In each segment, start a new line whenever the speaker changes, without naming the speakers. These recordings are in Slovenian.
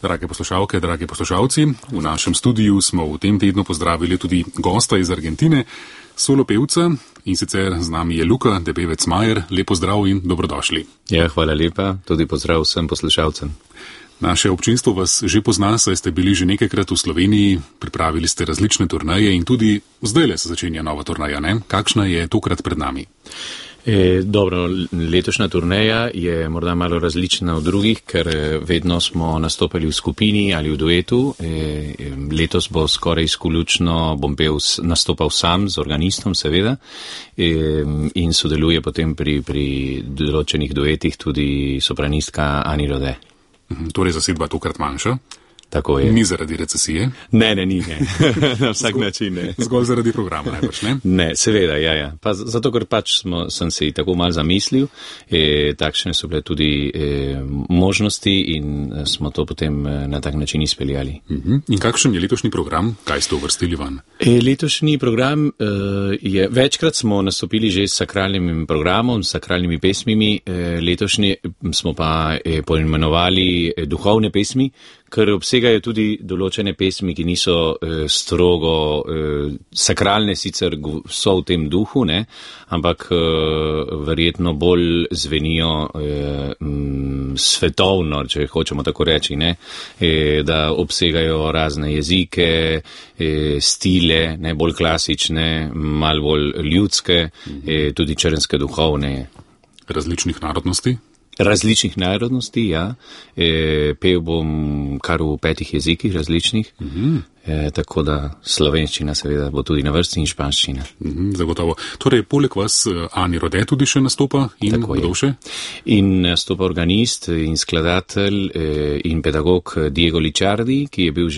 Drage poslušalke, dragi poslušalci, v našem studiu smo v tem tednu pozdravili tudi gosta iz Argentine, solo pevca, in sicer z nami je Luka Debevec-Majer. Lepo zdrav in dobrodošli.
Ja, hvala lepa, tudi pozdrav vsem poslušalcem.
Naše občinstvo vas že pozna, saj ste bili že nekajkrat v Sloveniji, pripravili ste različne turneje in tudi zdajle se začenja nova turneja, ne? Kakšna je tokrat pred nami?
Dobro, letošnja turneja je morda malo različna od drugih, ker vedno smo nastopali v skupini ali v duetu. Letos bo skoraj izključno bom nastopal sam z organistom, seveda, in sodeluje potem pri določenih duetih tudi sopranistka Ani Rode.
Torej zasedba tokrat manjša?
Tako je.
Ni zaradi recesije?
Ne, ni. Na vsak način ne.
Zgolj zaradi programa, najbrž, ne?
Ne, seveda, ja. Pa zato, ker pač sem se tako malo zamislil, takšne so bile tudi možnosti in smo to potem na tak način izpeljali.
In kakšen je letošnji program? Kaj ste uvrstili van?
Letošnji program je, večkrat smo nastopili že s sakralnim programom, s sakralnimi pesmimi, letošnji smo pa poimenovali duhovne pesmi, ker obsegajo tudi določene pesmi, ki niso strogo sakralne, sicer so v tem duhu, ne, ampak verjetno bolj zvenijo svetovno, če hočemo tako reči, ne, da obsegajo razne jezike, stile, ne, bolj klasične, malo bolj ljudske, tudi črnske duhovne.
Različnih narodnosti?
Različnih narodnosti, ja. Pel bom kar v 5 jezikih različnih, tako da slovenščina seveda bo tudi na vrsti in španščina.
Zagotovo. Torej, poleg vas Ani Rode tudi še nastopa in kdo še?
In nastopa organist in skladatelj in pedagog Diego Licciardi, ki je bil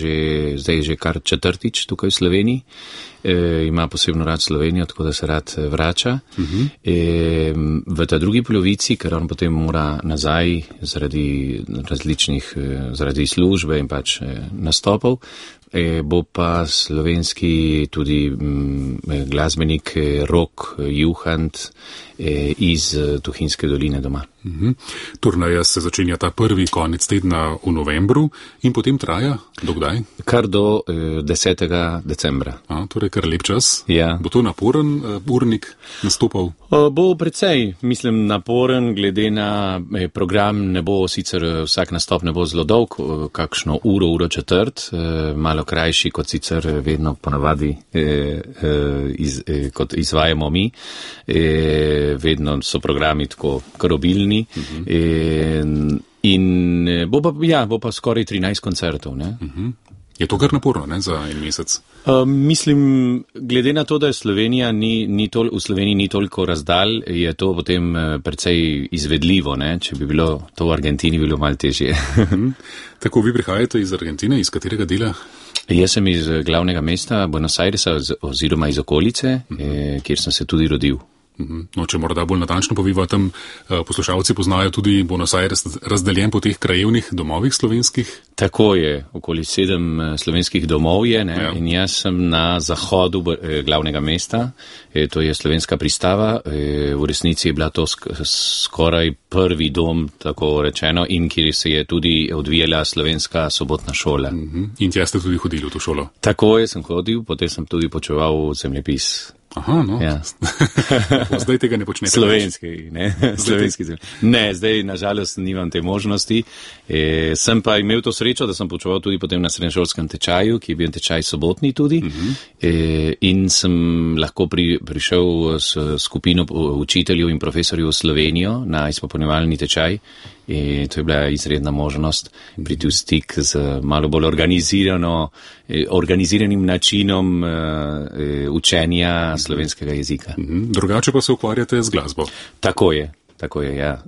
zdaj že kar 4. tukaj v Sloveniji. Ima posebno rad Slovenijo, tako da se rad vrača. V ta drugi polovici, ker on potem mora nazaj zaradi službe in pač nastopov, bo pa slovenski tudi glasbenik Rok Juhant iz Tuhinjske doline doma.
Turneja se začenja ta prvi konec tedna v novembru in potem traja do kdaj?
Kar do 10. decembra.
Torej kar lep čas.
Ja.
Bo to naporen urnik nastopal?
Bo precej, mislim, naporen, glede na program. Ne bo sicer vsak nastop ne bo zelo dolg, kakšno uro četrt, malo krajši kot sicer vedno ponavadi kot izvajamo mi. Vedno so programi tako karobilni. In bo pa skoraj 13 koncertov, ne?
Je to kar naporno, ne, za en mesec?
Mislim, glede na to, da je Slovenija v Sloveniji ni toliko razdalj, je to potem precej izvedljivo, ne? Če bi bilo to v Argentini, bilo malo težje.
Tako, vi prihajate iz Argentine, iz katerega dela?
Jaz sem iz glavnega mesta Buenos Airesa oziroma iz okolice, kjer sem se tudi rodil.
No, če morda bolj natančno poviva, tam poslušalci poznajo tudi Buenos Aires razdeljen po teh krajevnih domovih slovenskih? Tako
je, okoli 7 slovenskih domov je, ne? Ja. In jaz sem na zahodu glavnega mesta, to je Slovenska Pristava, v resnici je bila to skoraj prvi dom, tako rečeno, in kjer se je tudi odvijala slovenska sobotna šola.
In tja ste tudi hodili v to šolo?
Tako je, sem hodil, potem sem tudi počeval zemljepis.
Aha, no.
Ja.
Zdaj tega ne počnete.
Slovenski, ne? Slovenski zemlji. Ne, zdaj nažalost nimam te možnosti. Sem pa imel to srečo, da sem počeval tudi potem na srednješolskem tečaju, ki je bil tečaj sobotni tudi. In sem lahko prišel s skupino učiteljev in profesorjev v Slovenijo na izpopolnjevalni tečaj. To je bila izredna možnost priti v stik z malo bolj organiziranim načinom učenja slovenskega jezika.
Drugače pa se ukvarjate z glasbo?
Tako je, ja.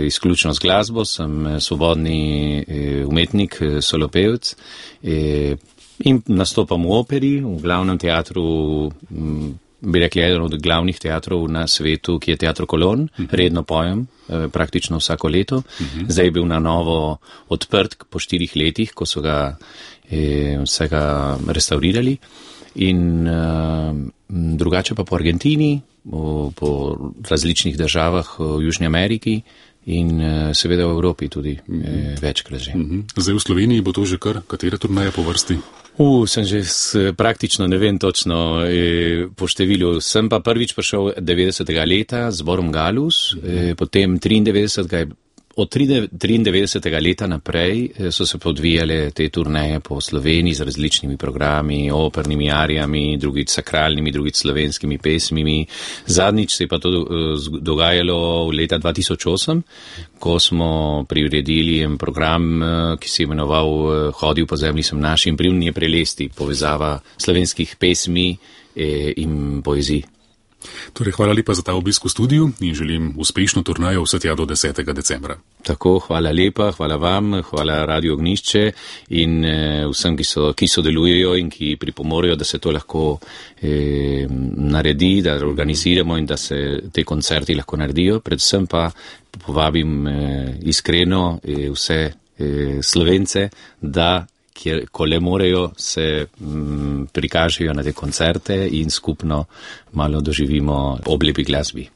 Izključno z glasbo, sem svobodni umetnik, solopevc in nastopam v operi, v glavnem teatru, bi rekli, eden od glavnih teatrov na svetu, ki je Teatro Colón. Redno pojem, praktično vsako leto. Zdaj je bil na novo odprt po 4 letih, ko so ga vsega restaurirali. In drugače pa po Argentini, po različnih državah v Južni Ameriki, in seveda v Evropi tudi večkrat že.
Zdaj v Sloveniji bo to že kar katera turneja po vrsti?
Sem že praktično ne vem točno po številu. Sem pa prvič prišel 90. leta z zborom Galus, potem 93. Od 93. leta naprej so se podvijale te turneje po Sloveniji z različnimi programi, opernimi arijami, drugič sakralnimi, drugič slovenskimi pesmimi. Zadnjič se je pa to dogajalo leta 2008, ko smo priredili en program, ki se je imenoval Hodil po zemlji sem naš in pridnje prelesti, povezava slovenskih pesmi in poezij.
Torej, hvala lepa za ta obisk v studiu in želim uspešno turnejo vse tja do 10. decembra.
Tako, hvala lepa, hvala vam, hvala Radio Ognišče in vsem, ki sodelujejo in ki pripomorejo, da se to lahko naredi, da organiziramo in da se te koncerti lahko naredijo. Predvsem pa povabim iskreno vse Slovence, da ko le morejo, se prikažejo na te koncerte in skupno malo doživimo ob lepi glasbi.